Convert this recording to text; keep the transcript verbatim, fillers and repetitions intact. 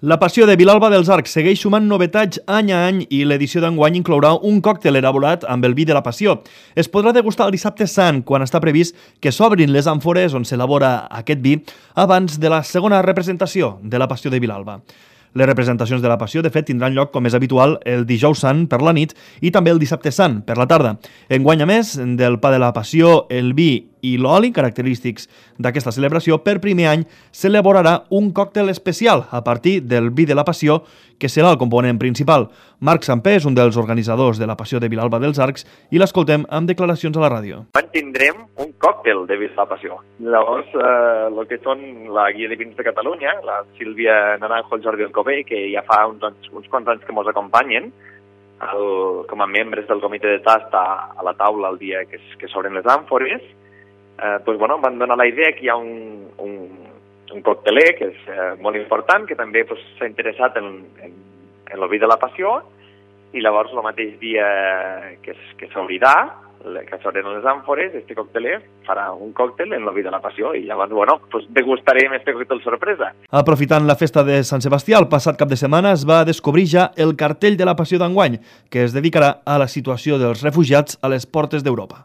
La Passió de Vilalba dels Arcs segueix sumant novetats any a any i l'edició d'enguany inclourà un còctel elaborat amb el vi de la Passió. Es podrà degustar el dissabte sant, quan està previst que s'obrin les àmfores on s'elabora aquest vi abans de la segona representació de la Passió de Vilalba. Les representacions de la Passió, de fet, tindran lloc, com és habitual, el dijous sant per la nit i també el dissabte sant per la tarda. Enguany, a més, del pa de la Passió, el vi i l'oli, característics d'aquesta celebració, per primer any s'elaborarà un còctel especial a partir del vi de la Passió, que serà el component principal. Marc Sampé és un dels organitzadors de la Passió de Vilalba dels Arcs i l'escoltem amb declaracions a la ràdio. Tindrem un còctel de vi de la Passió. Llavors, eh, el que són la guia de vins de Catalunya, la Sílvia Naranjo, el Jordi Alcobé, que ja fa uns, uns quants anys que ens acompanyen, el, com a membres del comitè de tast a, a la taula el dia que, que s'obren les àmfores, eh, doncs, bueno, van donar la idea que hi ha un, un, un cocteler que és eh, molt important, que també pues, s'ha interessat en, en, en el vi de la Passió, i llavors el mateix dia que, que s'obrirà, que s'obren les àmfores, este cocteler farà un còctel en el vi de la Passió i llavors, bueno, pues degustarem este còctel sorpresa. Aprofitant la festa de Sant Sebastià, el passat cap de setmana es va descobrir ja el cartell de la Passió d'enguany, que es dedicarà a la situació dels refugiats a les portes d'Europa.